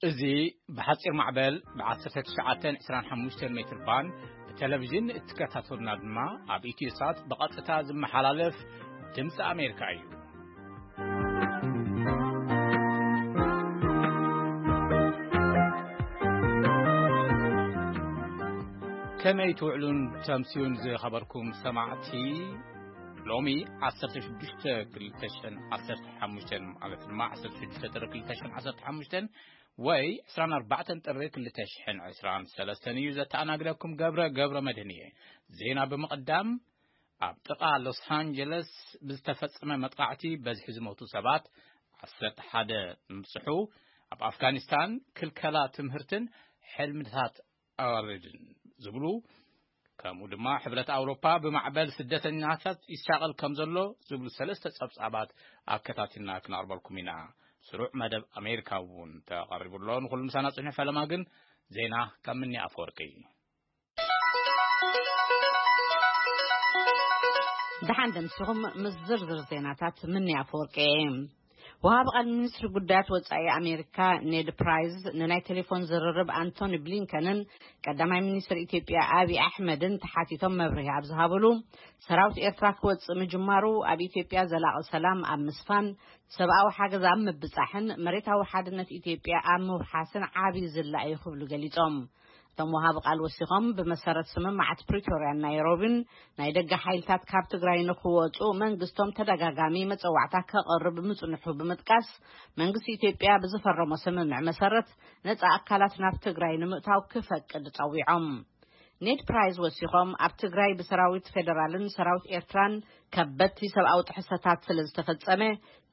እዚ ብሓጺር ማዕበል ብ19 25 ሜትር ባንድ ብቴሌቪዥን እትከታተሉና ድማ ኣብ ኢትዮ ሳት ብቐጥታ ዝመሓላለፍ ድምፂ ኣሜሪካ እዩ። ከመይ ትውዕሉን ተምስዩን ዝኸበርኩም ሰማዕቲ? ሎሚ 16 2015 ማለት ድማ 16 ጥሪ 2015 ወይ 24 ጥሪ 2023 እዩ። ዘተኣናግደኩም ገብረ ገብረ መድህን እየ። ዜና ብምቕዳም፣ ኣብ ጥቓ ሎስ ኣንጀለስ ብዝተፈጸመ መጥቃዕቲ በዝሒ ዝሞቱ ሰባት 11 ምብጽሑ፣ ኣብ ኣፍጋኒስታን ክልከላ ትምህርትን ሕልምታት ኣዋርድን ዝብሉ፣ ከምኡ ድማ ሕብረት ኣውሮፓ ብማዕበል ስደተኛታት ይሻቐል ከም ዘሎ ዝብሉ ሰለስተ ጸብጻባት ኣከታቲልና ክነቕርበልኩም ኢና። ስሩዕ መደብ ኣሜሪካ እውን ተቐሪቡ ኣሎ። ንኹሉ ምሳና ጽንሑ። ፈለማ ግን ዜና ካብ ምኒ ኣፈወርቂ። ደሓን ደምሲኹም ምስ ዝርዝር ዜናታት ምኒ ኣፈወርቂ እየ። ወሃቢ ቃል ሚኒስትሪ ጉዳያት ወጻኢ ኣሜሪካ ኔድ ፕራይዝ ንናይ ቴሌፎን ዝርርብ ኣንቶኒ ብሊንከንን ቀዳማይ ሚኒስትር ኢትዮጵያ ኣብይ ኣሕመድን ተሓቲቶም መብርሂ ኣብ ዝሃብሉ፣ ሰራዊት ኤርትራ ክወጽእ ምጅማሩ ኣብ ኢትዮጵያ ዘላቒ ሰላም ኣብ ምስፋን፣ ሰብኣዊ ሓገዝ ኣብ ምብጻሕን መሬታዊ ሓድነት ኢትዮጵያ ኣብ ምውሓስን ዓቢ ዝላ እዩ ክብሉ ገሊጾም። እቶም ወሃቢ ቃል ወሲኾም፣ ብመሰረት ስምምዓት ፕሪቶርያን ናይሮቢን ናይ ደገ ሓይልታት ካብ ትግራይ ንክወጹ መንግስቶም ተደጋጋሚ መጸዋዕታ ከቕርብ ምጽንሑ ብምጥቃስ፣ መንግስቲ ኢትዮጵያ ብዝፈረሞ ስምምዕ መሰረት ነጻ ኣካላት ናብ ትግራይ ንምእታው ክፈቅድ ጸዊዖም። ኔድ ፕራይዝ ወሲኾም፣ ኣብ ትግራይ ብሰራዊት ፌደራልን ሰራዊት ኤርትራን ከበድቲ ሰብኣዊ ጥሕሰታት ስለ ዝተፈጸመ፣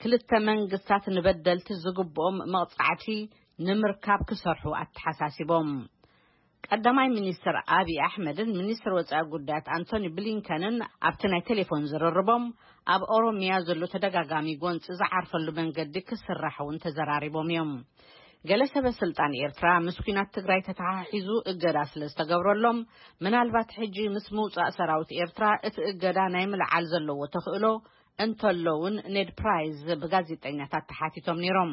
ክልተ መንግስታት ንበደልቲ ዝግብኦም መቕጻዕቲ ንምርካብ ክሰርሑ ኣተሓሳሲቦም። ቀዳማይ ሚኒስትር ኣብይ ኣሕመድን ሚኒስትር ወጻኢ ጉዳያት ኣንቶኒ ብሊንከንን ኣብቲ ናይ ቴሌፎን ዝርርቦም፣ ኣብ ኦሮሚያ ዘሎ ተደጋጋሚ ጎንፂ ዝዓርፈሉ መንገዲ ክስራሕ እውን ተዘራሪቦም እዮም። ገለ ሰበ ስልጣን ኤርትራ ምስ ኲናት ትግራይ ተተሓሒዙ እገዳ ስለ ዝተገብረሎም፣ ምናልባት ሕጂ ምስ ምውጻእ ሰራዊት ኤርትራ እቲ እገዳ ናይ ምልዓል ዘለዎ ተኽእሎ እንተሎ እውን፣ ኔድ ፕራይዝ ብጋዜጠኛታት ተሓቲቶም ነይሮም።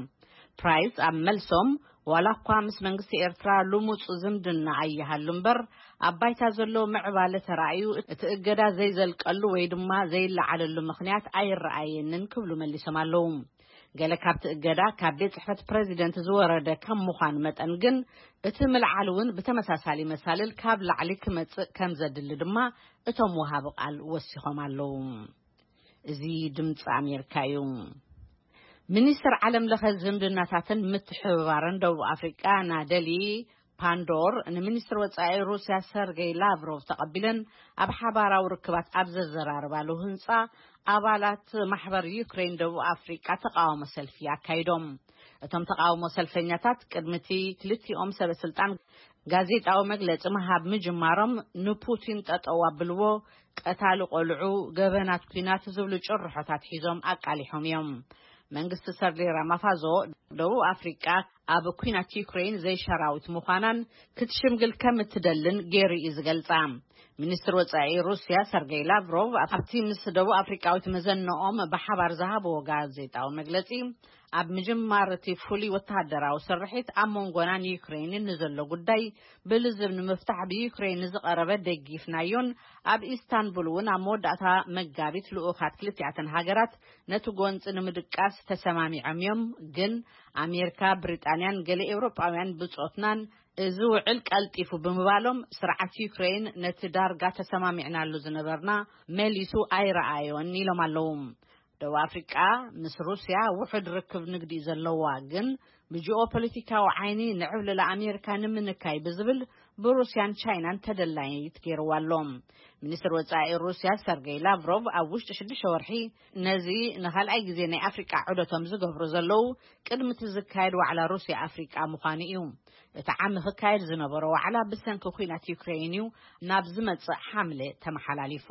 ፕራይዝ ኣብ መልሶም፣ ዋላ እኳ ምስ መንግስቲ ኤርትራ ልሙጽ ዝምድና ኣይሃሉ እምበር፣ ኣብ ባይታ ዘሎ ምዕባለ ተራእዩ እቲ እገዳ ዘይዘልቀሉ ወይ ድማ ዘይለዓለሉ ምኽንያት ኣይረኣየንን ክብሉ መሊሶም ኣለዉ። ገለ ካብቲ እገዳ ካብ ቤት ጽሕፈት ፕረዚደንት ዝወረደ ከም ምዃኑ መጠን ግን፣ እቲ ምልዓል እውን ብተመሳሳሊ መሳልል ካብ ላዕሊ ክመጽእ ከም ዘድሊ ድማ እቶም ወሃቢ ቃል ወሲኾም ኣለዉ። እዚ ድምፂ ኣሜሪካ እዩ። ሚኒስትር ዓለም ለኸ ዝምድናታትን ምትሕብባርን ደቡብ ኣፍሪቃ ናደሊ ፓንዶር፣ ንሚኒስትር ወጻኢ ሩስያ ሰርጌይ ላቭሮቭ ተቐቢለን ኣብ ሓባራዊ ርክባት ኣብ ዘዘራርባሉ ህንጻ፣ ኣባላት ማሕበር ዩክሬን ደቡብ ኣፍሪቃ ተቃውሞ ሰልፊ ኣካይዶም። እቶም ተቃውሞ ሰልፈኛታት ቅድሚ እቲ ክልቲኦም ሰበ ስልጣን ጋዜጣዊ መግለጺ ምሃብ ምጅማሮም፣ ንፑቲን ጠጠው ኣብልዎ፣ ቀታሊ ቆልዑ፣ ገበናት ኲናት ዝብሉ ጭርሖታት ሒዞም ኣቃሊሖም እዮም። መንግስቲ ሰርሊ ራማፋዞ፣ ደቡብ ኣፍሪቃ ኣብ ኲናት ዩክሬን ዘይሸራዊት ምዃናን ክትሽምግል ከም እትደልን ገይሩ እዩ ዝገልጻ። ሚኒስትር ወጻኢ ሩስያ ሰርጌይ ላቭሮቭ ኣብቲ ምስ ደቡብ ኣፍሪቃዊት መዘነኦም ብሓባር ዝሃብዎ ጋዜጣዊ መግለጺ፣ ኣብ ምጅማር እቲ ፍሉይ ወተሃደራዊ ስርሒት ኣብ መንጎናን ዩክሬንን ንዘሎ ጉዳይ ብልዝብ ንምፍታሕ ብዩክሬን ንዝቐረበ ደጊፍናዮን፣ ኣብ ኢስታንቡል እውን ኣብ መወዳእታ መጋቢት ልኡኻት ክልቲኣተን ሃገራት ነቲ ጎንፂ ንምድቃስ ተሰማሚዖም እዮም። ግን ኣሜሪካ፣ ብሪጣንያን ገለ ኤውሮጳውያን ብጾትናን እዚ ውዕል ቀልጢፉ ብምባሎም፣ ስርዓት ዩክሬን ነቲ ዳርጋ ተሰማሚዕናሉ ዝነበርና መሊሱ ኣይረኣዮን ኢሎም ኣለዉ። ደቡብ ኣፍሪቃ ምስ ሩስያ ውሑድ ርክብ ንግዲ እዩ ዘለዋ፣ ግን ብጂኦፖለቲካዊ ዓይኒ ንዕብለላ ኣሜሪካ ንምንካይ ብዝብል ብሩስያን ቻይናን ተደላይት ገይርዋ ኣሎ። ሚኒስትር ወጻኢ ሩስያ ሰርጌይ ላቭሮቭ ኣብ ውሽጢ ሽዱሽተ ወርሒ ነዚ ንኻልኣይ ግዜ ናይ ኣፍሪቃ ዑደቶም ዝገብሩ ዘለዉ፣ ቅድሚ እቲ ዝካየድ ዋዕላ ሩስያ ኣፍሪቃ ምዃኑ እዩ። እቲ ዓሚ ክካየድ ዝነበሮ ዋዕላ ብሰንኪ ኲናት ዩክሬን እዩ ናብ ዝመጽእ ሓምለ ተመሓላሊፉ።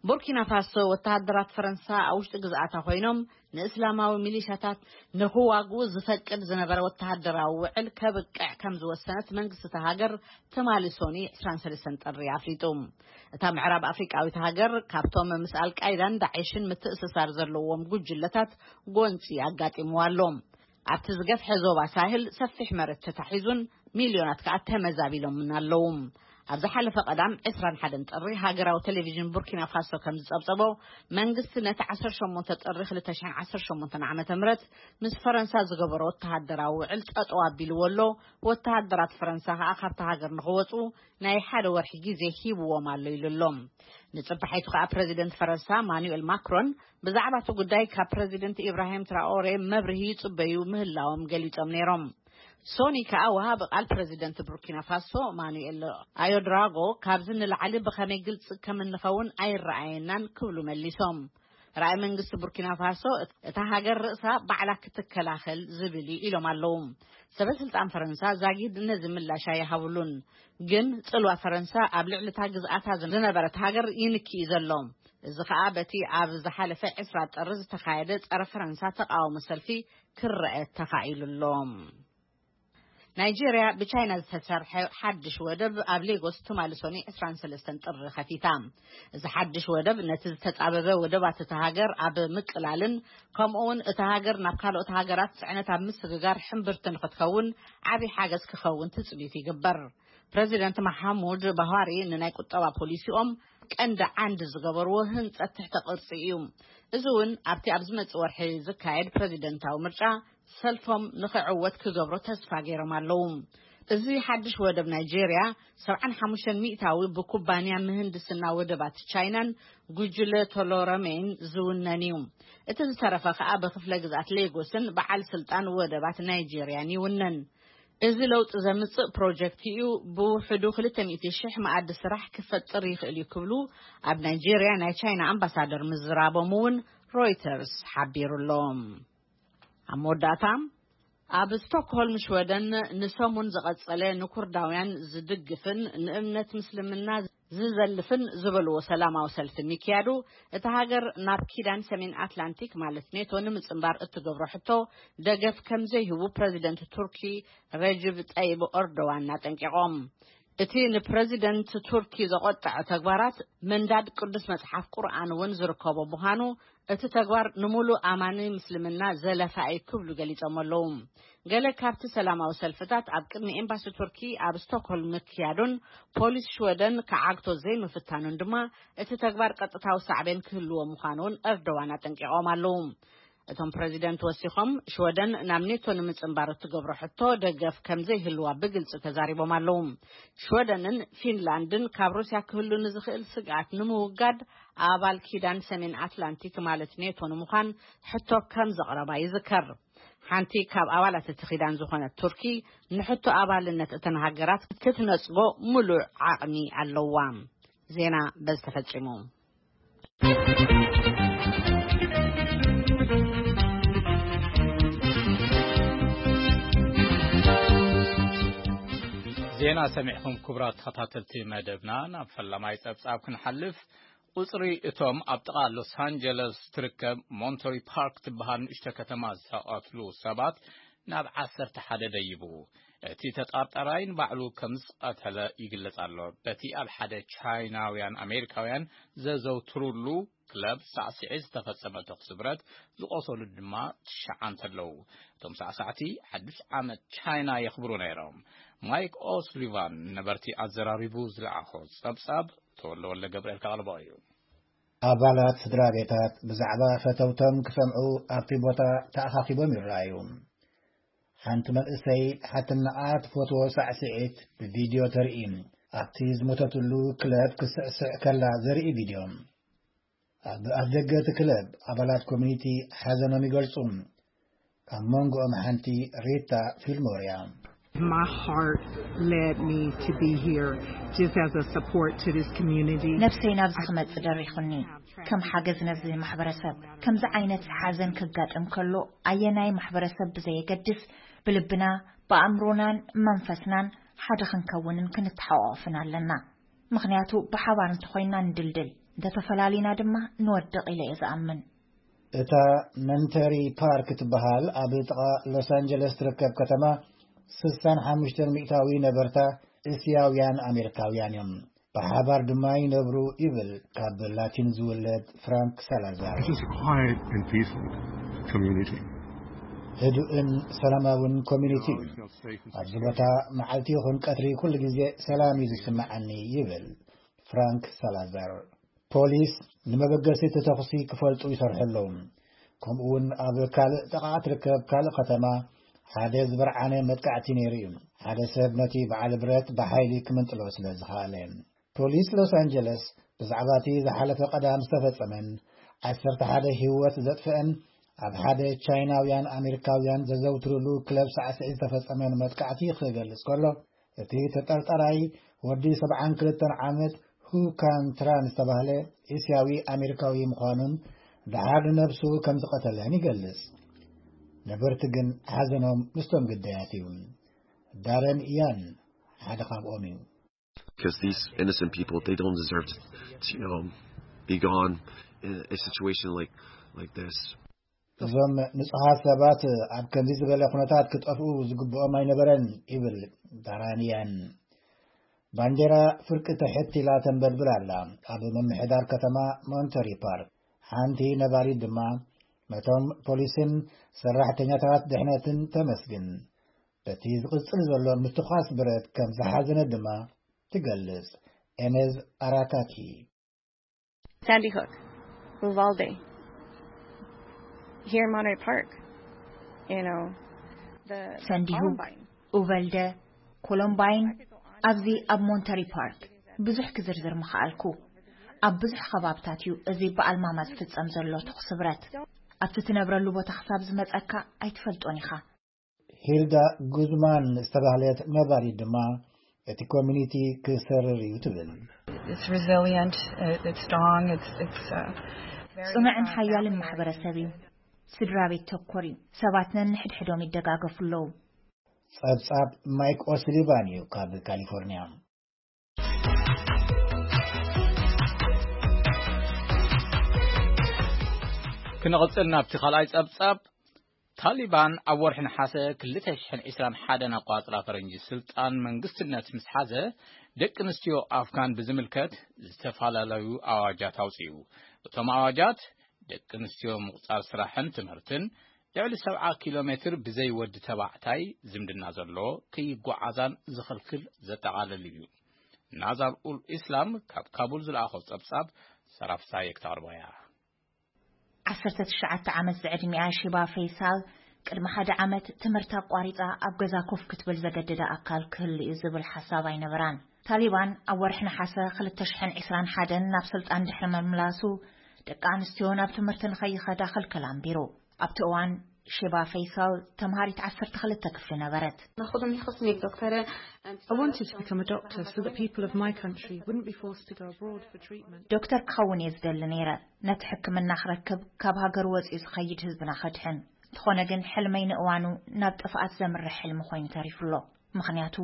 ቡርኪና ፋሶ፣ ወተሃደራት ፈረንሳ ኣብ ውሽጢ ግዝኣታ ኮይኖም ንእስላማዊ ሚሊሻታት ንክዋግኡ ዝፈቅድ ዝነበረ ወተሃደራዊ ውዕል ከብቅዕ ከም ዝወሰነት መንግስቲ እታ ሃገር ትማሊ ሶኒ ዕስራን ሰለስተን ጥሪ ኣፍሊጡ። እታ ምዕራብ ኣፍሪቃዊት ሃገር ካብቶም ምስ ኣልቃይዳን ዳዒሽን ምትእስሳር ዘለዎም ጉጅለታት ጎንፂ ኣጋጢምዋ ኣሎ። ኣብቲ ዝገፍሐ ዞባ ሳህል ሰፊሕ መሬት ተታሒዙን ሚልዮናት ከኣ ተመዛቢሎምን ኣለዉ። ኣብ ዝሓለፈ ቀዳም ዕስራን ሓደን ጥሪ ሃገራዊ ቴሌቪዥን ቡርኪና ፋሶ ከም ዝጸብጸቦ፣ መንግስቲ ነቲ ዓሰርተ ሸሞንተ ጥሪ ክልተ ሽሕን ዓሰርተ ሸሞንተን ዓመተ ምህረት ምስ ፈረንሳ ዝገበሮ ወተሃደራዊ ውዕል ጠጠው ኣቢልዎ ኣሎ። ወተሃደራት ፈረንሳ ከኣ ካብታ ሃገር ንኽወጹ ናይ ሓደ ወርሒ ግዜ ሂብዎም ኣሎ ኢሉ ኣሎ። ንጽባሒቱ ከኣ ፕረዚደንት ፈረንሳ ማኑኤል ማክሮን ብዛዕባ እቲ ጉዳይ ካብ ፕረዚደንት ኢብራሂም ትራኦሬ መብርሂ ይጽበዩ ምህላዎም ገሊጾም ነይሮም። ሶኒ ከኣ ወሃቢ ቃል ፕረዚደንት ቡርኪና ፋሶ ማኑኤል ኣዮድራጎ ካብዚ ንላዕሊ ብኸመይ ግልጺ ከም እንኸውን ኣይረኣየናን ክብሉ መሊሶም። ራእይ መንግስቲ ቡርኪና ፋሶ እታ ሃገር ርእሳ ባዕላ ክትከላኸል ዝብል እዩ ኢሎም ኣለዉ። ሰበ ስልጣን ፈረንሳ ዛጊድ ነዚ ምላሽ ኣይሃብሉን። ግን ጽልዋ ፈረንሳ ኣብ ልዕሊ እታ ግዝኣታ ዝነበረት ሃገር ይንኪ እዩ ዘሎ። እዚ ከኣ በቲ ኣብ ዝሓለፈ ዕስራ ጥሪ ዝተኻየደ ጸረ ፈረንሳ ተቃውሞ ሰልፊ ክረአ ተኻኢሉ ኣሎ። ናይጄርያ ብቻይና ዝተሰርሐ ሓድሽ ወደብ ኣብ ሌጎስ ትማሊ ሶኒ ዕስራን ሰለስተን ጥሪ ከፊታ። እዚ ሓድሽ ወደብ ነቲ ዝተጻበበ ወደባት እታ ሃገር ኣብ ምቅላልን ከምኡ እውን እታ ሃገር ናብ ካልኦት ሃገራት ጽዕነት ኣብ ምስግጋር ሕምብርቲ ንክትከውን ዓቢ ሓገዝ ክኸውን ትጽቢት ይግበር። ፕረዚደንት መሓሙድ ባሃሪ ንናይ ቁጠባ ፖሊሲኦም ቀንዲ ዓንዲ ዝገበርዎ ህንጸት ትሕተ ቅርጺ እዩ። እዚ እውን ኣብቲ ኣብ ዝመጽእ ወርሒ ዝካየድ ፕረዚደንታዊ ምርጫ ሰልፎም ንኽዕወት ክገብሮ ተስፋ ገይሮም ኣለዉ። እዚ ሓድሽ ወደብ ናይጄርያ ሰብዓን ሓሙሽተን ሚእታዊ ብኩባንያ ምህንድስና ወደባት ቻይናን ጉጅለ ቶሎረሜን ዝውነን እዩ። እቲ ዝተረፈ ከኣ ብክፍለ ግዝኣት ሌጎስን በዓል ስልጣን ወደባት ናይጄርያን ይውነን። እዚ ለውጢ ዘምጽእ ፕሮጀክት እዩ። ብውሕዱ ክልተ ሚእቲ ሽሕ መኣዲ ስራሕ ክፈጥር ይኽእል እዩ ክብሉ ኣብ ናይጄርያ ናይ ቻይና ኣምባሳደር ምዝራቦም እውን ሮይተርስ ሓቢሩ ኣሎ። ኣብ መወዳእታ፣ ኣብ ስቶክሆልም ሽወደን ንሰሙን ዝቐጸለ ንኩርዳውያን ዝድግፍን ንእምነት ምስልምና ዝዘልፍን ዝበልዎ ሰላማዊ ሰልፊ ምክያዱ፣ እታ ሃገር ናብ ኪዳን ሰሜን ኣትላንቲክ ማለት ኔቶ ንምጽንባር እትገብሮ ሕቶ ደገፍ ከም ዘይህቡ ፕረዚደንት ቱርኪ ረጅብ ጠይብ ኦርዶዋን ኣጠንቂቖም። እቲ ንፕረዚደንት ቱርኪ ዘቖጠዐ ተግባራት ምንዳድ ቅዱስ መጽሓፍ ቁርኣን እውን ዝርከቦ ምዃኑ፣ እቲ ተግባር ንምሉእ ኣማኒ ምስልምና ዘለፋ እዩ ክብሉ ገሊጾም ኣለዉ። ገለ ካብቲ ሰላማዊ ሰልፍታት ኣብ ቅድሚ ኤምባሲ ቱርኪ ኣብ ስቶክሆልም ምክያዱን ፖሊስ ሽወደን ክዓግቶ ዘይምፍታኑን ድማ እቲ ተግባር ቀጥታዊ ሳዕቤን ክህልዎ ምዃኑ እውን ኤርዶዋን ኣጠንቂቖም ኣለዉ። እቶም ፕረዚደንት ወሲኾም ሽወደን ናብ ኔቶ ንምጽንባር እትገብሮ ሕቶ ደገፍ ከም ዘይህልዋ ብግልጺ ተዛሪቦም ኣለዉ። ሽወደንን ፊንላንድን ካብ ሩስያ ክህሉ ንዝኽእል ስግኣት ንምውጋድ ኣባል ኪዳን ሰሜን ኣትላንቲክ ማለት ኔቶ ንምዃን ሕቶ ከም ዘቕረባ ይዝከር። ሓንቲ ካብ ኣባላት እቲ ኪዳን ዝኾነት ቱርኪ ንሕቶ ኣባልነት እተን ሃገራት ክትነጽጎ ምሉእ ዓቕሚ ኣለዋ። ዜና በዚ ተፈጺሙ። ዜና ሰሚዕኹም ክቡራት ተኸታተልቲ መደብና፣ ናብ ፈላማይ ጸብጻብ ክንሓልፍ። ቁጽሪ እቶም ኣብ ጥቓ ሎስ ኣንጀለስ ትርከብ ሞንተሪ ፓርክ ትበሃል ንእሽቶ ከተማ ዝተቐትሉ ሰባት ናብ ዓሰርተ ሓደ ደይቡ። እቲ ተጠርጠራይ ንባዕሉ ከም ዝቐተለ ይግለጽ ኣሎ። በቲ ኣብ ሓደ ቻይናውያን ኣሜሪካውያን ዘዘውትሩሉ ክለብ ሳዕስዒት ዝተፈጸመ ተኹሲ ብረት፣ ዝቖሰሉ ድማ ትሽዓተ ኣለዉ። እቶም ሳዕሳዕቲ ሓድሽ ዓመት ቻይና የኽብሩ ነይሮም። ማይክ ኦስሊቫን ነበርቲ ኣዘራሪቡ ዝለኣኾ ጸብጻብ ተወልደ ወልደ ገብርኤል ከቕርቦ እዩ። ኣባላት ስድራ ቤታት ብዛዕባ ፈተውቶም ክሰምዑ ኣብቲ ቦታ ተኣኻኺቦም ይረኣዩ። ሓንቲ መንእሰይ ሓትነኣ ትፈትዎ ሳዕስዒት ብቪድዮ ተርኢ። ኣብቲ ዝሞተትሉ ክለብ ክስዕስዕ ከላ ዘርኢ ቪድዮ። ኣብ ኣፍደገ እቲ ክለብ ኣባላት ኮሚኒቲ ሓዘኖም ይገልጹ። ካብ መንጎኦም ሓንቲ ሪታ ፊልሞር እያ። My heart led me to be here just as a support to this community. ነብሰይ ናብዚ ክመጽእ ደሪኹኒ። ከም ሓገዝ ነዚ ማሕበረሰብ፣ ከምዚ ዓይነት ሓዘን ከጋጥም ከሎ ኣየናይ ማሕበረሰብ ብዘየገድስ ብልብና፣ ብኣእምሮናን መንፈስናን ሓደ ክንከውንን ክንተሓቋቆፍን ኣለና። ምኽንያቱ ብሓባር እንተኾይንና ንድልድል፣ እንተተፈላሊና ድማ ንወድቕ ኢለ እየ ዝኣምን። እታ መንተሪ ፓርክ ትበሃል ኣብ ጥቓ ሎስ ኣንጀለስ ትርከብ ከተማ ስሳን ሓሙሽተን ሚእታዊ ነበርታ እስያውያን ኣሜሪካውያን እዮም። ብሓባር ድማ ይነብሩ ይብል ካብ ላቲን ዝውለድ ፍራንክ ሳላዛር። It's just a quiet and peaceful community. ህዱእን ሰላማውን ኮሚኒቲ እዩ። ኣብዚ ቦታ መዓልቲ ይኹን ቀትሪ ኩሉ ግዜ ሰላም እዩ ዝስምዓኒ፣ ይብል ፍራንክ ሳላዛር። ፖሊስ ንመበገሲ እቲ ተኹሲ ክፈልጡ ይሰርሑ ኣለዉ። ከምኡ እውን ኣብ ካልእ ጥቓ እትርከብ ካልእ ከተማ ሓደ ዝበርዓነ መጥቃዕቲ ነይሩ እዩ። ሓደ ሰብ ነቲ በዓል ብረት ብሓይሊ ክምንጥሎ ስለ ዝኸኣለ። ፖሊስ ሎስ ኣንጀለስ ብዛዕባ እቲ ዝሓለፈ ቀዳም ዝተፈጸመን ዓሰርተ ሓደ ህይወት ዘጥፍአን ኣብ ሓደ ቻይናውያን ኣሜሪካውያን ዘዘውትሩሉ ክለብ ሳዕስዒት ዝተፈጸመን መጥቃዕቲ ክገልጽ ከሎ፣ እቲ ተጠርጠራይ ወዲ ሰብዓን ክልተን ዓመት ሁ ካን ትራን ዝተባህለ እስያዊ ኣሜሪካዊ ምዃኑን ደሓር ንነብሱ ከም ዝቐተለን ይገልጽ። ነበርቲ ግን ሓዘኖም ምስቶም ግዳያት እዩ። ዳረን ኢያን ሓደ ካብኦም እዩ። Because these innocent people, they don't deserve to, to you know, be gone in a situation like like this. እዞም ንጹሃት ሰባት ኣብ ከምዚ ዝበለ ኩነታት ክጠፍኡ ዝግብኦም ኣይነበረን፣ ይብል ዳራንያን። ባንዴራ ፍርቂ ትሕት ኢላ ተንበልብል ኣላ። ኣብ ምምሕዳር ከተማ ሞንተሪ ፓርክ ሓንቲ ነባሪት ድማ ነቶም ፖሊስን ሰራሕተኛታት ድሕነትን ተመስግን፣ በቲ ዝቕጽል ዘሎ ምትኳስ ብረት ከም ዝሓዘነ ድማ ትገልጽ። ኤነዝ ኣራካኪ። Sandy Hook, Uvalde, here in Monterey Park, you know, the ሰንዲሁክ፣ Columbine. ኡቨልደ፣ ኮሎምባይን፣ ኣብዚ ኣብ ሞንተሪ ፓርክ ብዙሕ ክዝርዝር ምኽኣልኩ። ኣብ ብዙሕ ከባብታት እዩ እዚ ብኣልማማ ዝፍጸም ዘሎ ተኹሲ ብረት። ኣብቲ ትነብረሉ ቦታ ክሳብ ዝመጸካ ኣይትፈልጦን ኢኻ። ሂልዳ ጉዝማን ዝተባህለት ነባሪት ድማ እቲ ኮሚኒቲ ክሰርር እዩ ትብል። It's resilient, uh, it's strong, it's it's uh, very ጽኑዕን uh, ሓያልን family ማሕበረሰብ እዩ። ስድራ ቤት ተኮር እዩ። ሰባት ነንሕድሕዶም ይደጋገፉ ኣለዉ። ጸብጻብ ማይክ ኦስሊቫን እዩ ካብ ካሊፎርኒያ። ክንቕጽል ናብቲ ካልኣይ ጸብጻብ። ታሊባን ኣብ ወርሒ ነሓሰ ክልተ ሽሕን ዕስራን ሓደን ኣቋጽራ ፈረንጂ ስልጣን መንግስትነት ምስ ሓዘ፣ ደቂ ኣንስትዮ ኣፍጋን ብዝምልከት ዝተፈላለዩ ኣዋጃት ኣውጺኡ። እቶም ኣዋጃት ደቂ ኣንስትዮ ምቑጻር ስራሕን ትምህርትን፣ ልዕሊ ሰብዓ ኪሎ ሜትር ብዘይ ወዲ ተባዕታይ ዝምድና ዘሎ ከይጓዓዛን ዝኽልክል ዘጠቓልል እዩ። ናዛር ኡል ኢስላም ካብ ካቡል ዝለኣኾ ጸብጻብ ሰራፍሳይ ክተቕርቦ እያ። ዓሰርተ ትሽዓተ ዓመት ዝዕድሚኣ ሺባ ፈይሳል ቅድሚ ሓደ ዓመት ትምህርቲ ኣቋሪጻ ኣብ ገዛ ኮፍ ክትብል ዘገደዳ ኣካል ክህሉ እዩ ዝብል ሓሳብ ኣይነበራን። ታሊባን ኣብ ወርሒ ነሓሰ ክልተ ሽሕን ዕስራን ሓደን ናብ ስልጣን ድሕሪ ምምላሱ ደቂ ኣንስትዮ ናብ ትምህርቲ ንኸይኸዳ ክልከል ኣንቢሩ። ኣብቲ እዋን ሺባ ፈይሳል ተምሃሪት ዓሰርተ ክልተ ክፍሊ ነበረት። ناخذهم يخصني بدكتورة I wanted to become a doctor so that people of my country wouldn't be forced to go abroad for treatment. ዶክተር ክኸውን እየ ዝደሊ ነይረ፣ ነቲ ሕክምና ክረክብ ካብ ሃገሩ ወፂኡ ዝኸይድ ህዝብና ከድሕን። እንተኾነ ግን ሕልመይ ንእዋኑ ናብ ጥፍኣት ዘምርሕ ሕልሚ ኮይኑ ተሪፉ ኣሎ። ምኽንያቱ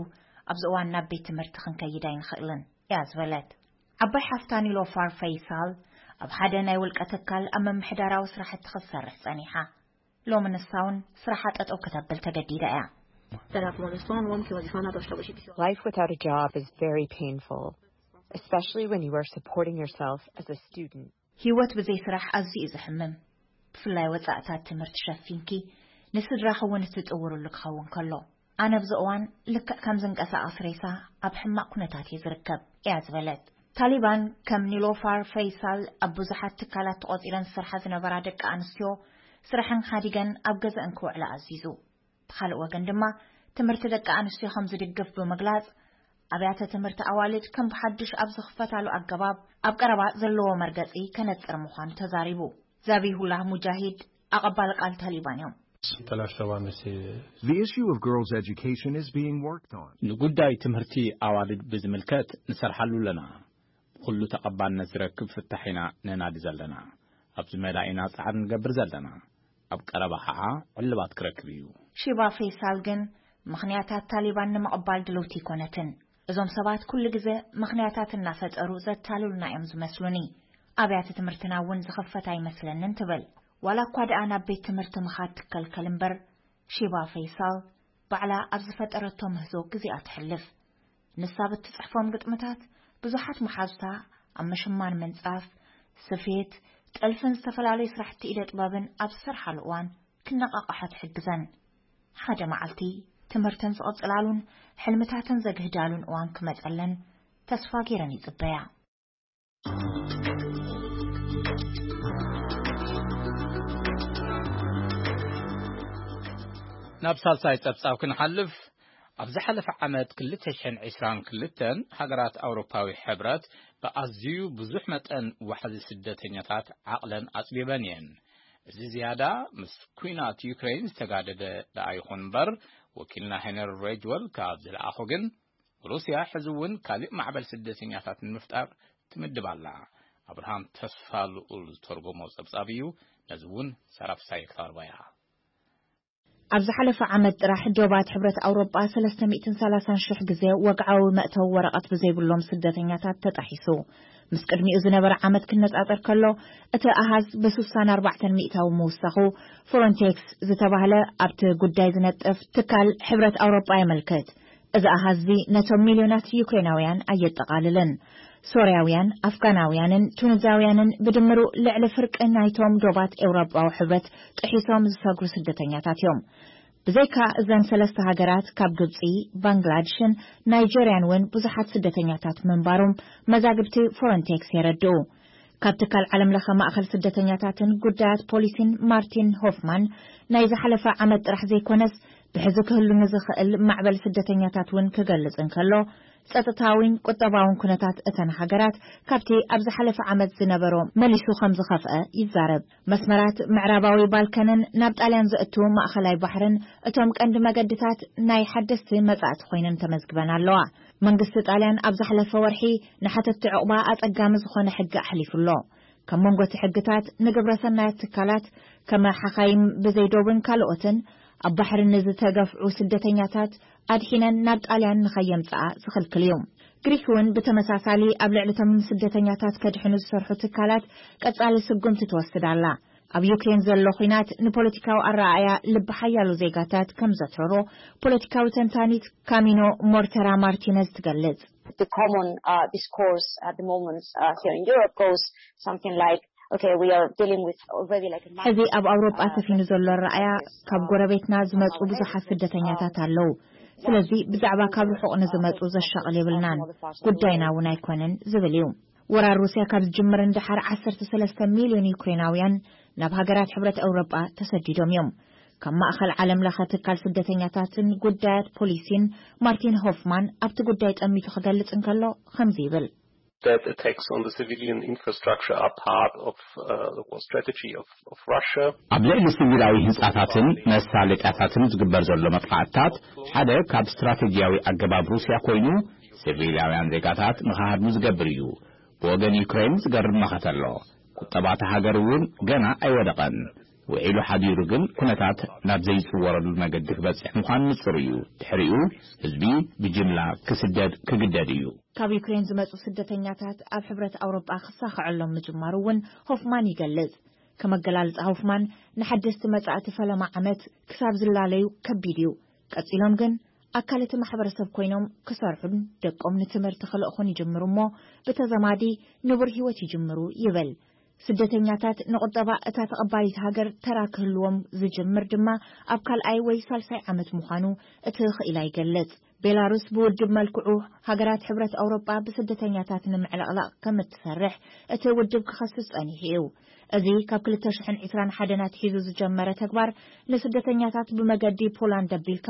ኣብዚ እዋን ናብ ቤት ትምህርቲ ክንከይድ ኣይንኽእልን እያ ዝበለት። ዓባይ ሓፍታ ኒሎፋር ፈይሳል ኣብ ሓደ ናይ ውልቀ ትካል ኣብ ምምሕዳራዊ ስራሕቲ ክትሰርሕ ጸኒሓ። ሎሚ ንሳ እውን ስራሓ ጠጠው ከተብል ተገዲዳ እያ። ثلاث مونستون وممكن وظيفة نادر شغل شيء Life without a job is very painful, especially when you are supporting yourself as a student. ህይወት ብዘይ ስራሕ ኣዝዩ እዩ ዘሕምም። ብፍላይ ወጻእታት ትምህርቲ ሸፊንኪ ንስድራኺ እውን እትጥውርሉ ክኸውን ከሎ። ኣነ ኣብዚ እዋን ልክዕ ከም ዝንቀሳቐስ ሬሳ ኣብ ሕማቕ ኩነታት እየ ዝርከብ እያ ዝበለት። ታሊባን ከም ኒሎፋር ፈይሳል ኣብ ብዙሓት ትካላት ተቖጺረን ዝሰርሓ ዝነበራ ደቂ ኣንስትዮ ስራሐን ሓዲገን ኣብ ገዛእን ክውዕላ ኣዚዙ። ብኻልእ ወገን ድማ ትምህርቲ ደቂ ኣንስትዮ ከም ዝድግፍ ብምግላጽ ኣብያተ ትምህርቲ ኣዋልድ ከም ብሓድሽ ኣብ ዝኽፈታሉ ኣገባብ ኣብ ቀረባ ዘለዎ መርገጺ ከነጽር ምዃኑ ተዛሪቡ። ዛቢሁላህ ሙጃሂድ ኣቐባሊ ቃል ታሊባን እዮም። The issue of girls' education is being worked on. ንጉዳይ ትምህርቲ ኣዋልድ ብዝምልከት ንሰርሓሉ ኣለና። ብኹሉ ተቐባልነት ዝረክብ ፍታሕ ኢና ነናዲ ዘለና። ኣብዚ መዳ ኢና ጻዕሪ ንገብር ዘለና። ኣብ ቀረባ ኸዓ ዕልባት ክረክብ እዩ። ሺባ ፈይሳል ግን ምኽንያታት ታሊባን ንምቕባል ድልውቲ ኣይኮነትን። እዞም ሰባት ኩሉ ግዜ ምኽንያታት እናፈጠሩ ዘታልሉና እዮም ዝመስሉኒ። ኣብያተ ትምህርትና እውን ዝኽፈት ኣይመስለንን ትብል። ዋላ እኳ ደኣ ናብ ቤት ትምህርቲ ምኻድ ትከልከል እምበር፣ ሺባ ፈይሳል ባዕላ ኣብ ዝፈጠረቶ ምህዞ ግዜኣ ትሕልፍ። ንሳ ብትጽሕፎም ግጥምታት ብዙሓት መሓዙታ ኣብ ምሽማን ምንጻፍ፣ ስፌት፣ ጥልፍን ዝተፈላለዩ ስራሕቲ ኢደ ጥበብን ኣብ ዝሰርሓሉ እዋን ክነቓቓሓ ትሕግዘን። ሓደ መዓልቲ ትምህርተን ዝቐጽላሉን ሕልምታተን ዘግህዳሉን እዋን ክመጸለን ተስፋ ገይረን ይጽበያ። ናብ ሳልሳይ ጸብጻብ ክንሓልፍ፣ ኣብ ዝሓለፈ ዓመት ክልተ ሽሕን ዕስራን ክልተን ሃገራት ኣውሮፓዊ ሕብረት ብኣዝዩ ብዙሕ መጠን ዋሕዚ ስደተኛታት ዓቕለን ኣጽቢበን እየን። እዚ ዝያዳ ምስ ኲናት ዩክሬን ዝተጋደደ ደኣ ይኹን እምበር፣ ወኪልና ሄነሪ ሬጅወል ካብ ዝለኣኾ ግን፣ ሩስያ ሕዚ እውን ካልእ ማዕበል ስደተኛታት ንምፍጣር ትምድብ ኣላ። ኣብርሃም ተስፋ ልኡል ዝተርጎሞ ጸብጻብ እዩ። ነዚ እውን ሰራፍሳይ ክተቕርባ እያ። ኣብ ዝሓለፈ ዓመት ጥራሕ ዶባት ሕብረት ኣውሮጳ ሰለስተ ሚእትን ሰላሳን ሽሕ ግዜ ወግዓዊ መእተዊ ወረቐት ብዘይብሎም ስደተኛታት ተጣሒሱ። ምስ ቅድሚኡ ዝነበረ ዓመት ክነጻጸር ከሎ፣ እቲ ኣሃዝ ብ64 ሚእታዊ ምውሳኹ፣ ፍሮንቴክስ ዝተባህለ ኣብቲ ጉዳይ ዝነጥፍ ትካል ሕብረት ኣውሮጳ የመልክት። እዚ ኣሃዝ እዚ ነቶም ሚልዮናት ዩክሬናውያን ኣየጠቓልልን። ሶርያውያን፣ ኣፍጋናውያንን ቱኒዛውያንን ብድምሩ ልዕሊ ፍርቂ ናይቶም ዶባት ኤውሮጳዊ ሕብረት ጥሒሶም ዝሰግሩ ስደተኛታት እዮም። ብዘይካ እዘን ሰለስተ ሃገራት፣ ካብ ግብጺ፣ ባንግላድሽን ናይጀርያን እውን ብዙሓት ስደተኛታት ምንባሮም መዛግብቲ ፍሮንቴክስ የረድኡ። ካብ ትካል ዓለም ለኸ ማእኸል ስደተኛታትን ጉዳያት ፖሊሲን ማርቲን ሆፍማን፣ ናይ ዝሓለፈ ዓመት ጥራሕ ዘይኮነስ፣ ብሕዚ ክህሉ ንዝኽእል ማዕበል ስደተኛታት እውን ክገልጽ እንከሎ፣ ጸጥታዊን ቁጠባውን ኩነታት እተን ሃገራት ካብቲ ኣብ ዝሓለፈ ዓመት ዝነበሮ መሊሱ ከም ዝኸፍአ ይዛረብ። መስመራት ምዕራባዊ ባልካንን ናብ ጣልያን ዘእቱ ማእኸላይ ባሕርን እቶም ቀንዲ መገድታት ናይ ሓደስቲ መጻእቲ ኮይነን ተመዝግበን ኣለዋ። መንግስቲ ጣልያን ኣብ ዝሓለፈ ወርሒ ንሓተትቲ ዕቑባ ኣጸጋሚ ዝኾነ ሕጊ ኣሕሊፉ ኣሎ። ካብ መንጎ እቲ ሕግታት፣ ንግብረ ሰናያት ትካላት፣ ከም ሓኻይም ብዘይ ዶብን ካልኦትን፣ ኣብ ባሕሪ ንዝተገፍዑ ስደተኛታት ኣድሒነን ናብ ጣልያን ንኸየምጽኣ ዝኽልክል እዩ። ግሪክ እውን ብተመሳሳሊ ኣብ ልዕሊ እቶም ስደተኛታት ከድሕኑ ዝሰርሑ ትካላት ቀጻሊ ስጉምቲ ትወስድ ኣላ። ኣብ ዩክሬን ዘሎ ኲናት ንፖለቲካዊ ኣረኣእያ ልቢ ሓያሎ ዜጋታት ከም ዘትረሮ፣ ፖለቲካዊ ተንታኒት ካሚኖ ሞርተራ ማርቲነዝ ትገልጽ። The common uh, discourse at the moment uh, here in Europe goes something like, okay, we are dealing with already like a ሕዚ ኣብ ኣውሮጳ ሰፊኑ ዘሎ ኣረኣእያ፣ ካብ ጎረቤትና ዝመጹ ብዙሓት ስደተኛታት ኣለዉ። ስለዚ ብዛዕባ ካብ ርሑቕ ንዝመጹ ዘሻቕል የብልናን፣ ጉዳይና እውን ኣይኮነን ዝብል እዩ። ወራር ሩስያ ካብ ዝጅምር ንደሓር ዓሰርተ ሰለስተ ሚልዮን ዩክሬናውያን ናብ ሃገራት ሕብረት ኤውሮጳ ተሰዲዶም እዮም። ካብ ማእኸል ዓለም ለኸ ትካል ስደተኛታትን ጉዳያት ፖሊሲን ማርቲን ሆፍማን ኣብቲ ጉዳይ ጠሚቱ ክገልጽ እንከሎ ከምዚ ይብል። That attacks on the civilian infrastructure are part of uh, the war strategy of, of Russia. ኣብ ልዕሊ ሲቪላዊ ህንጻታትን መሳለጥያታትን ዝግበር ዘሎ መጥቃዕትታት ሓደ ካብ ስትራቴጂያዊ ኣገባብ ሩስያ ኮይኑ፣ ሲቪላውያን ዜጋታት ንኽሃድሙ ዝገብር እዩ። ብወገን ዩክሬን ዝገርም መኸተ ኣሎ። ቁጠባ እታ ሃገር እውን ገና ኣይወደቐን። ውዒሉ ሓዲሩ ግን ኩነታት ናብ ዘይጽወረሉ መገዲ ክበጽሕ ምዃኑ ንጹር እዩ። ድሕሪኡ ህዝቢ ብጅምላ ክስደድ ክግደድ እዩ። ካብ ዩክሬን ዝመጹ ስደተኛታት ኣብ ሕብረት ኣውሮጳ ክሳኸዐሎም ምጅማሩ እውን ሆፍማን ይገልጽ። ከም ኣገላልጻ ሆፍማን፣ ንሓደስቲ መጻእቲ ፈለማ ዓመት ክሳብ ዝላለዩ ከቢድ እዩ። ቀጺሎም ግን ኣካል እቲ ማሕበረሰብ ኮይኖም ክሰርሑን ደቆም ንትምህርቲ ክልእኹን ይጅምሩ እሞ፣ ብተዘማዲ ንቡር ህይወት ይጅምሩ ይብል። ስደተኛታት ንቁጠባ እታ ተቐባሊት ሃገር ተራ ክህልዎም ዝጅምር ድማ ኣብ ካልኣይ ወይ ሳልሳይ ዓመት ምዃኑ እቲ ክኢላ ይገልጽ። ቤላሩስ ብውድብ መልክዑ ሃገራት ሕብረት ኣውሮጳ ብስደተኛታት ንምዕልቕላቕ ከም እትሰርሕ እቲ ውድብ ክኸስስ ጸኒሑ እዩ። እዚ ካብ ክልተ ሽሕን ዕስራን ሓደን ኣትሒዙ ዝጀመረ ተግባር፣ ንስደተኛታት ብመገዲ ፖላንድ ኣቢልካ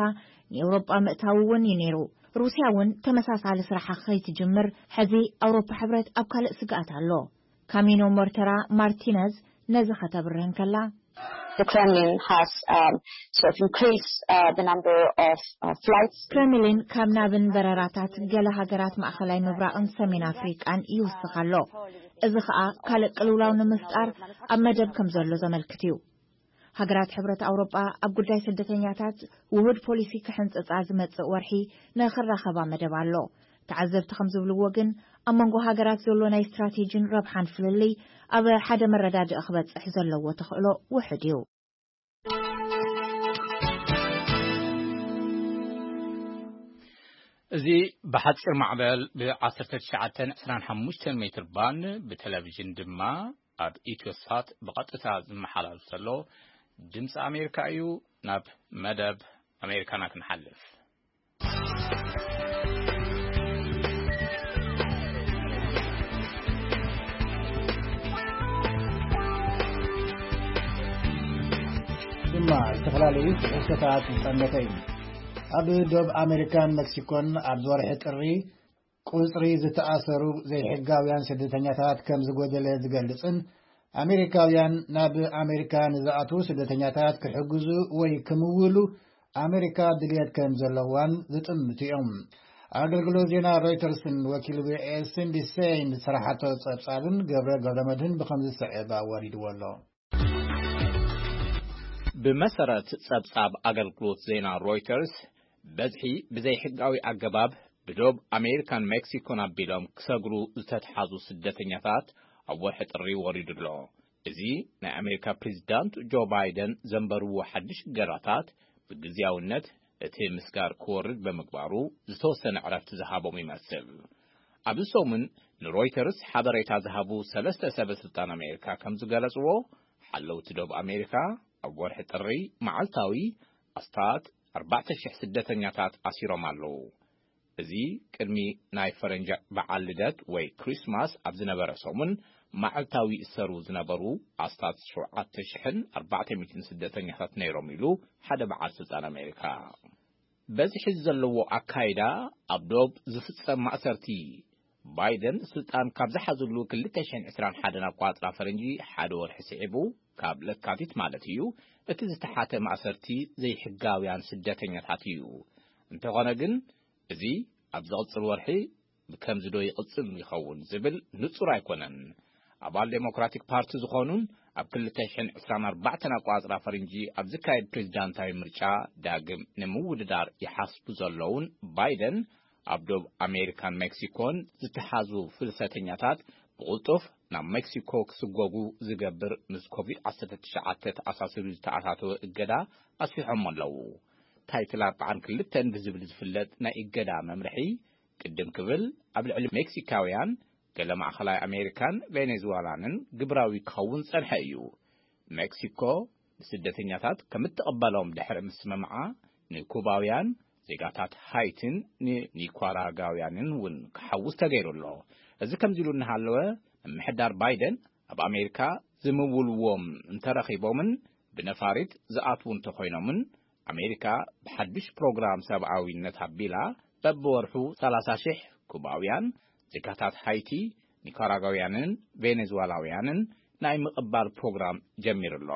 ንኤውሮጳ ምእታው እውን እዩ ነይሩ። ሩስያ እውን ተመሳሳሊ ስራሓ ከይትጅምር፣ ሕዚ ኣውሮፓ ሕብረት ኣብ ካልእ ስግኣት ኣሎ። ካሚኖ ሞርተራ ማርቲነዝ ነዚ ከተብርህ እንከላ፣ The Kremlin has um, sort of increased uh, the number of uh, flights. ክሬምሊን ካብ ናብን በረራታት ገለ ሃገራት ማእኸላይ ምብራቕን ሰሜን ኣፍሪቃን ይውስኽ ኣሎ። እዚ ኸኣ ካልእ ቅልውላው ንምፍጣር ኣብ መደብ ከም ዘሎ ዘመልክት እዩ። ሃገራት ሕብረት ኣውሮጳ ኣብ ጉዳይ ስደተኛታት ውሁድ ፖሊሲ ክሕንጽጻ ዝመጽእ ወርሒ ንኽራኸባ መደብ ኣሎ። ተዓዘብቲ ከም ዝብልዎ ግን፣ ኣብ መንጎ ሃገራት ዘሎ ናይ ስትራቴጂን ረብሓን ፍልልይ ኣብ ሓደ መረዳድኢ ክበጽሕ ዘለዎ ተኽእሎ ውሑድ እዩ። እዚ ብሓጺር ማዕበል ብ1925 ሜትር ባንድ ብቴሌቪዥን ድማ ኣብ ኢትዮሳት ብቐጥታ ዝመሓላለፍ ዘሎ ድምፂ ኣሜሪካ እዩ። ናብ መደብ ኣሜሪካና ክንሓልፍ። ድማ ዝተፈላለዩ ትሕዝቶታት ዝጠመተ እዩ። ኣብ ዶብ ኣሜሪካን ሜክሲኮን ኣብ ወርሒ ጥሪ ቁጽሪ ዝተኣሰሩ ዘይሕጋውያን ስደተኛታት ከም ዝጎደለ ዝገልጽን ኣሜሪካውያን ናብ ኣሜሪካ ንዝኣትዉ ስደተኛታት ክሕግዙ ወይ ክምውሉ ኣሜሪካ ድልየት ከም ዘለዋን ዝጥምቱ እዮም። ኣገልግሎት ዜና ሮይተርስን ወኪል ቪኦኤ ሲንዲ ሴይን ዝሰራሓቶ ጸብጻብን ገብረ ገብረመድህን ብኸምዚ ዝስዕብ ኣዋዲድዎ ኣሎ። ብመሰረት ጸብጻብ ኣገልግሎት ዜና ሮይተርስ፣ በዝሒ ብዘይሕጋዊ ኣገባብ ብዶብ ኣሜሪካን ሜክሲኮን ኣቢሎም ክሰግሩ ዝተትሓዙ ስደተኛታት ኣብ ወርሒ ጥሪ ወሪዱ ኣሎ። እዚ ናይ ኣሜሪካ ፕሬዚዳንት ጆ ባይደን ዘንበርዎ ሓድሽ እገዳታት ብግዝያውነት እቲ ምስጋር ክወርድ ብምግባሩ ዝተወሰነ ዕረፍቲ ዝሃቦም ይመስል። ኣብዚ ሰሙን ንሮይተርስ ሓበሬታ ዝሃቡ ሰለስተ ሰበ ስልጣን ኣሜሪካ ከም ዝገለጽዎ፣ ሓለውቲ ዶብ ኣሜሪካ ኣብ ወርሒ ጥሪ መዓልታዊ ኣስታት ኣርባዕተ ሽሕ ስደተኛታት ኣሲሮም ኣለዉ። እዚ ቅድሚ ናይ ፈረንጂ በዓል ልደት ወይ ክሪስማስ ኣብ ዝነበረ ሰሙን መዓልታዊ ይእሰሩ ዝነበሩ ኣስታት ሸውዓተ ሽሕን ኣርባዕተ ሚእትን ስደተኛታት ነይሮም ኢሉ ሓደ በዓል ስልጣን ኣሜሪካ። በዝሒ ዘለዎ ኣካይዳ ኣብ ዶብ ዝፍጸም ማእሰርቲ። ባይደን ስልጣን ካብ ዝሓዝሉ ክልተ ሽሕን ዕስራን ሓደን ኣቋጽራ ፈረንጂ ሓደ ወርሒ ስዒቡ፣ ካብ ለካቲት ማለት እዩ፣ እቲ ዝተሓተ ማእሰርቲ ዘይሕጋውያን ስደተኛታት እዩ። እንተኾነ ግን፣ እዚ ኣብ ዝቕጽል ወርሒ ብከምዚ ዶ ይቕጽል ይኸውን ዝብል ንጹር ኣይኮነን። ኣባል ዴሞክራቲክ ፓርቲ ዝኾኑን ኣብ ክልተ ሽሕን ዕስራን ኣርባዕተን ኣቋጽራ ፈረንጂ ኣብ ዝካየድ ፕሬዚዳንታዊ ምርጫ ዳግም ንምውድዳር ይሓስቡ ዘለውን ባይደን፣ ኣብ ዶብ ኣሜሪካን ሜክሲኮን ዝተሓዙ ፍልሰተኛታት ብቕልጡፍ ናብ ሜክሲኮ ክስጎጉ ዝገብር ምስ ኮቪድ ዓሰርተ ትሽዓተ ተኣሳሲሩ ዝተኣታተወ እገዳ ኣስፊሖሞ ኣለዉ። ታይትል ኣርባዓን ክልተን ብዝብል ዝፍለጥ ናይ እገዳ መምርሒ ቅድም ክብል ኣብ ልዕሊ ሜክሲካውያን፣ ገለ ማእኸላይ ኣሜሪካን ቬኔዙዋላንን ግብራዊ ክኸውን ጸንሐ እዩ። ሜክሲኮ ንስደተኛታት ከም እትቕበሎም ድሕሪ ምስምምዓ፣ ንኩባውያን ዜጋታት ሃይቲን ንኒኳራጋውያንን እውን ክሓውስ ተገይሩ ኣሎ። እዚ ከምዚ ኢሉ እናሃለወ፣ ምምሕዳር ባይደን ኣብ ኣሜሪካ ዝምውልዎም እንተረኺቦምን ብነፋሪት ዝኣትዉ እንተኾይኖምን፣ ኣሜሪካ ብሓድሽ ፕሮግራም ሰብኣዊነት ኣቢላ በብወርሑ ሰላሳ ሽሕ ኩባውያን ዜጋታት ሃይቲ፣ ኒካራጓውያንን ቬኔዙዋላውያንን ናይ ምቕባል ፕሮግራም ጀሚሩ ኣሎ።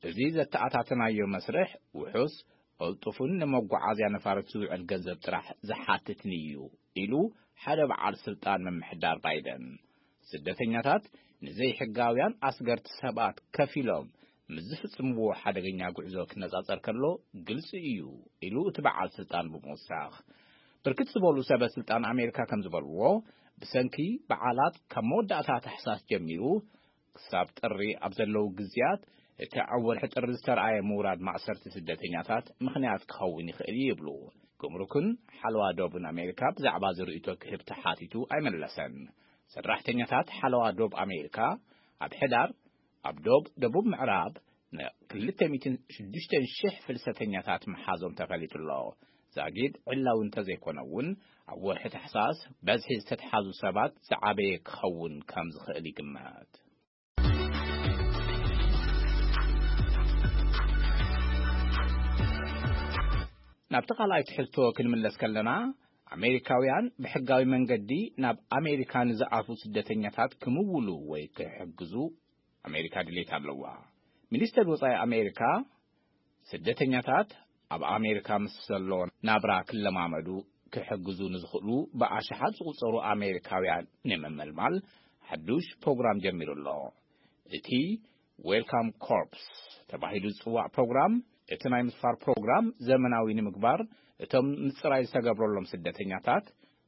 እዚ ዘተኣታተናዮ መስርሕ ውሑስ፣ ቅልጡፍን ንመጓዓዝያ ነፋሪት ዝውዕል ገንዘብ ጥራሕ ዝሓትትን እዩ ኢሉ ሓደ በዓል ስልጣን ምምሕዳር ባይደን። ስደተኛታት ንዘይሕጋውያን ኣስገርቲ ሰባት ከፊሎም ምስ ዝፍጽምዎ ሓደገኛ ጉዕዞ ክነጻጸር ከሎ ግልጺ እዩ ኢሉ እቲ በዓል ስልጣን ብምውሳኽ፣ ብርክት ዝበሉ ሰበ ስልጣን ኣሜሪካ ከም ዝበልዎ፣ ብሰንኪ በዓላት ካብ መወዳእታ ታሕሳስ ጀሚሩ ክሳብ ጥሪ ኣብ ዘለዉ ግዜያት፣ እቲ ኣብ ወርሒ ጥሪ ዝተረኣየ ምውራድ ማእሰርቲ ስደተኛታት ምኽንያት ክኸውን ይኽእል እዩ ይብሉ። ጉምሩክን ሓለዋ ዶብን ኣሜሪካ ብዛዕባ እዚ ርእይቶ ክህብ ተሓቲቱ ኣይመለሰን። ሰራሕተኛታት ሓለዋ ዶብ ኣሜሪካ ኣብ ሕዳር ኣብ ዶብ ደቡብ ምዕራብ ን ክልተ ሚእትን ሽዱሽተን ሽሕ ፍልሰተኛታት ምሓዞም ተፈሊጡ ኣሎ። ዛጊድ ዕላዊ እንተዘይኮነ እውን፣ ኣብ ወርሒ ታሕሳስ በዝሒ ዝተትሓዙ ሰባት ዝዓበየ ክኸውን ከም ዝኽእል ይግመት። ናብቲ ካልኣይ ትሕዝቶ ክንምለስ ከለና፣ ኣሜሪካውያን ብሕጋዊ መንገዲ ናብ ኣሜሪካ ንዝኣትዉ ስደተኛታት ክምውሉ ወይ ክሕግዙ ኣሜሪካ ድሌት ኣለዋ። ሚኒስተር ወጻኢ ኣሜሪካ፣ ስደተኛታት ኣብ ኣሜሪካ ምስ ዘሎ ናብራ ክለማመዱ ክሕግዙ ንዝኽእሉ ብኣሽሓት ዝቑጸሩ ኣሜሪካውያን ንምምልማል ሓዱሽ ፕሮግራም ጀሚሩ ኣሎ። እቲ ዌልካም ኮርፕስ ተባሂሉ ዝጽዋዕ ፕሮግራም፣ እቲ ናይ ምስፋር ፕሮግራም ዘመናዊ ንምግባር፣ እቶም ምጽራይ ዝተገብረሎም ስደተኛታት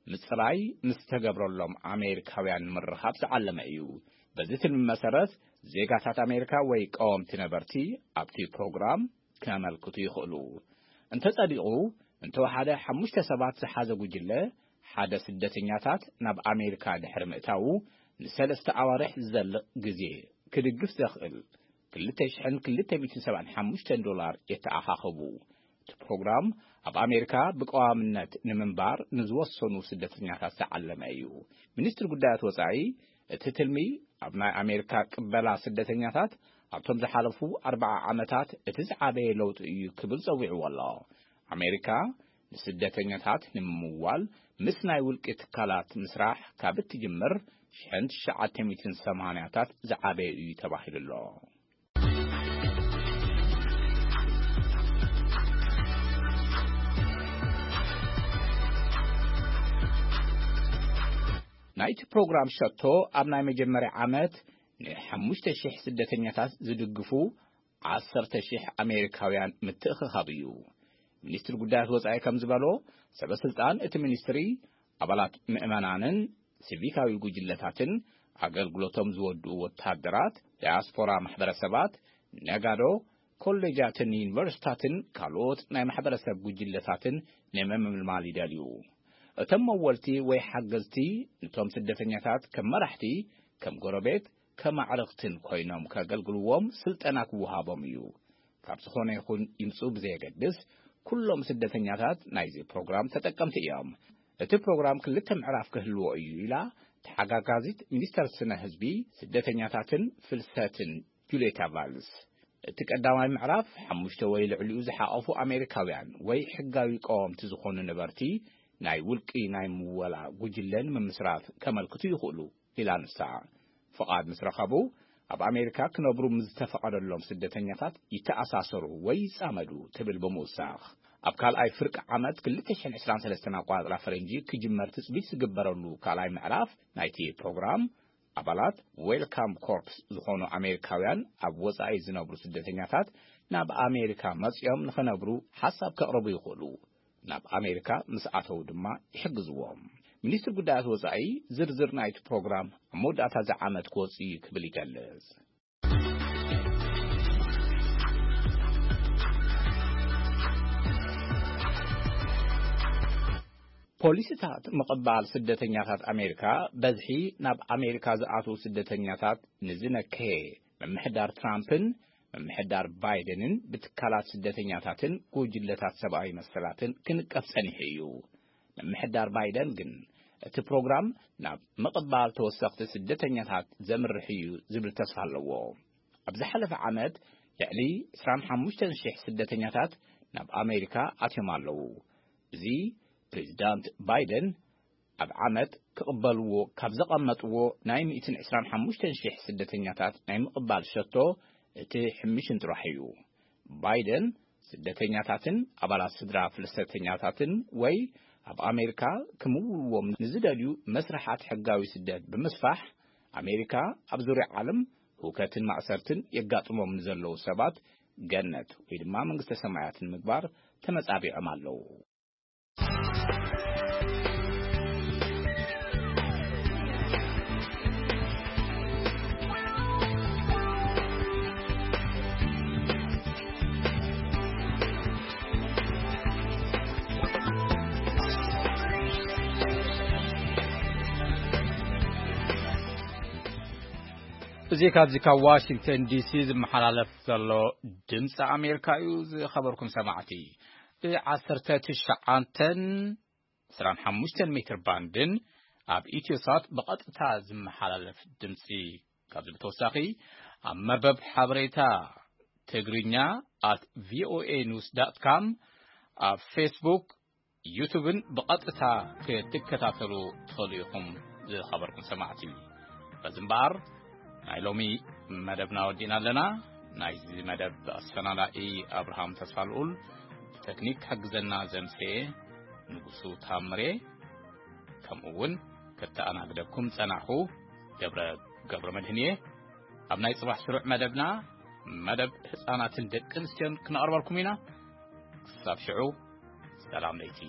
ምጽራይ ምስ ዝተገብረሎም ኣሜሪካውያን ንምርኻብ ዝዓለመ እዩ። በዚ ትልሚ መሰረት፣ ዜጋታት ኣሜሪካ ወይ ቀወምቲ ነበርቲ ኣብቲ ፕሮግራም ከመልክቱ ይኽእሉ። እንተጸዲቑ፣ እንተወሓደ ሓሙሽተ ሰባት ዝሓዘ ጉጅለ ሓደ ስደተኛታት ናብ ኣሜሪካ ድሕሪ ምእታዉ ንሰለስተ ኣዋርሕ ዝዘልቕ ግዜ ክድግፍ ዘኽእል ክልተ ሽሕን ክልተ ሚእትን ሰብዓን ሓሙሽተን ዶላር የተኣኻኸቡ። እቲ ፕሮግራም ኣብ ኣሜሪካ ብቀዋምነት ንምንባር ንዝወሰኑ ስደተኛታት ዝዓለመ እዩ። ሚኒስትሪ ጉዳያት ወጻኢ እቲ ትልሚ ኣብ ናይ ኣሜሪካ ቅበላ ስደተኛታት ኣብቶም ዝሓለፉ ኣርብዓ ዓመታት እቲ ዝዓበየ ለውጢ እዩ ክብል ጸዊዕዎ ኣሎ። ኣሜሪካ ንስደተኛታት ንምምዋል ምስ ናይ ውልቂ ትካላት ምስራሕ ካብ እትጅምር ሽሕን ትሽዓተ ሚእትን ሰማንያታት ዝዓበየ እዩ ተባሂሉ ኣሎ። ናይቲ ፕሮግራም ሸቶ ኣብ ናይ መጀመርያ ዓመት ንሓሙሽተ ሽሕ ስደተኛታት ዝድግፉ ዓሰርተ ሽሕ ኣሜሪካውያን ምትእኽኻብ እዩ። ሚኒስትሪ ጉዳያት ወጻኢ ከም ዝበሎ፣ ሰበ ስልጣን እቲ ሚኒስትሪ ኣባላት ምእመናንን ሲቪካዊ ጉጅለታትን ኣገልግሎቶም ዝወድኡ ወታደራት፣ ዳያስፖራ ማሕበረሰባት፣ ነጋዶ፣ ኮሌጃትን ዩኒቨርሲታትን ካልኦት ናይ ማሕበረሰብ ጉጅለታትን ንምምልማል ይደልዩ። እቶም መወልቲ ወይ ሓገዝቲ ንቶም ስደተኛታት ከም መራሕቲ፣ ከም ጎረቤት፣ ከም ኣዕርኽትን ኮይኖም ከገልግልዎም ስልጠና ክወሃቦም እዩ። ካብ ዝኾነ ይኹን ይምጹ ብዘየገድስ፣ ኩሎም ስደተኛታት ናይዚ ፕሮግራም ተጠቀምቲ እዮም። እቲ ፕሮግራም ክልተ ምዕራፍ ክህልዎ እዩ ኢላ ተሓጋጋዚት ሚኒስተር ስነ ህዝቢ፣ ስደተኛታትን ፍልሰትን ጁልየታ ቫልስ። እቲ ቀዳማይ ምዕራፍ ሓሙሽተ ወይ ልዕሊኡ ዝሓቐፉ ኣሜሪካውያን ወይ ሕጋዊ ቀወምቲ ዝኾኑ ነበርቲ ናይ ውልቂ ናይ ምወላ ጉጅለ ንምምስራት ከመልክቱ ይኽእሉ ኢላ ንሳ። ፍቓድ ምስ ረኸቡ፣ ኣብ ኣሜሪካ ክነብሩ ምስ ዝተፈቐደሎም ስደተኛታት ይተኣሳሰሩ ወይ ይጻመዱ ትብል ብምውሳኽ፣ ኣብ ካልኣይ ፍርቂ ዓመት ክልተ ሽሕን ዕስራን ሰለስተን ኣቆጻጽራ ፈረንጂ ክጅመር ትጽቢት ዝግበረሉ ካልኣይ ምዕራፍ ናይቲ ፕሮግራም፣ ኣባላት ዌልካም ኮርፕስ ዝኾኑ ኣሜሪካውያን ኣብ ወጻኢ ዝነብሩ ስደተኛታት ናብ ኣሜሪካ መጺኦም ንኽነብሩ ሓሳብ ከቕርቡ ይኽእሉ። ናብ ኣሜሪካ ምስ ኣተዉ ድማ ይሕግዝዎም። ሚኒስትሪ ጉዳያት ወጻኢ ዝርዝር ናይቲ ፕሮግራም ኣብ መወዳእታ እዚ ዓመት ክወጽእ እዩ ክብል ይገልጽ። ፖሊሲታት ምቕባል ስደተኛታት ኣሜሪካ፣ በዝሒ ናብ ኣሜሪካ ዝኣትዉ ስደተኛታት ንዝነከየ ምምሕዳር ትራምፕን ምምሕዳር ባይደንን ብትካላት ስደተኛታትን ጉጅለታት ሰብኣዊ መሰላትን ክንቀፍ ጸኒሑ እዩ። ምምሕዳር ባይደን ግን እቲ ፕሮግራም ናብ ምቕባል ተወሰኽቲ ስደተኛታት ዘምርሕ እዩ ዝብል ተስፋ ኣለዎ። ኣብ ዝሓለፈ ዓመት ልዕሊ ዕስራን ሓሙሽተን ሽሕ ስደተኛታት ናብ ኣሜሪካ ኣትዮም ኣለዉ። እዚ ፕሬዚዳንት ባይደን ኣብ ዓመት ክቕበልዎ ካብ ዘቐመጥዎ ናይ ሚእትን ዕስራን ሓሙሽተን ሽሕ ስደተኛታት ናይ ምቕባል ሸቶ እቲ ሕምሽን ጥራሕ እዩ። ባይደን ስደተኛታትን ኣባላት ስድራ ፍልሰተኛታትን ወይ ኣብ ኣሜሪካ ክምውልዎም ንዝደልዩ መስርሓት ሕጋዊ ስደት ብምስፋሕ፣ ኣሜሪካ ኣብ ዙርያ ዓለም ህውከትን ማእሰርትን የጋጥሞም ንዘለዉ ሰባት ገነት ወይ ድማ መንግስተ ሰማያት ንምግባር ተመጻቢዖም ኣለዉ። እዚ ካብዚ ካብ ዋሽንግተን ዲሲ ዝመሓላለፍ ዘሎ ድምፂ ኣሜሪካ እዩ። ዝኸበርኩም ሰማዕቲ፣ ብዓሰርተ ትሽዓተን ዕስራን ሓሙሽተን ሜትር ባንድን ኣብ ኢትዮሳት ብቐጥታ ዝመሓላለፍ ድምፂ። ካብዚ ብተወሳኺ ኣብ መርበብ ሓበሬታ ትግርኛ at voanews.com፣ ኣብ ፌስቡክ፣ ዩቱብን ብቐጥታ ክትከታተሉ ትኽእሉ ኢኹም። ዝኸበርኩም ሰማዕቲ፣ በዚ እምበኣር ናይ ሎሚ መደብና ወዲእና ኣለና። ናይዚ መደብ ኣሰናዳኢ ኣብርሃም ተስፋልኡል፣ ብተክኒክ ክሕግዘና ዘምጽኤ ንጉሱ ታምሬ፣ ከምኡ እውን ከተኣናግደኩም ጸናኹ ገብረ፣ ገብረ መድህን እየ። ኣብ ናይ ጽባሕ ስሩዕ መደብና፣ መደብ ህጻናትን ደቂ ኣንስትዮን ክነቕርበልኩም ኢና። ክሳብ ሽዑ፣ ሰላም ለይቲ።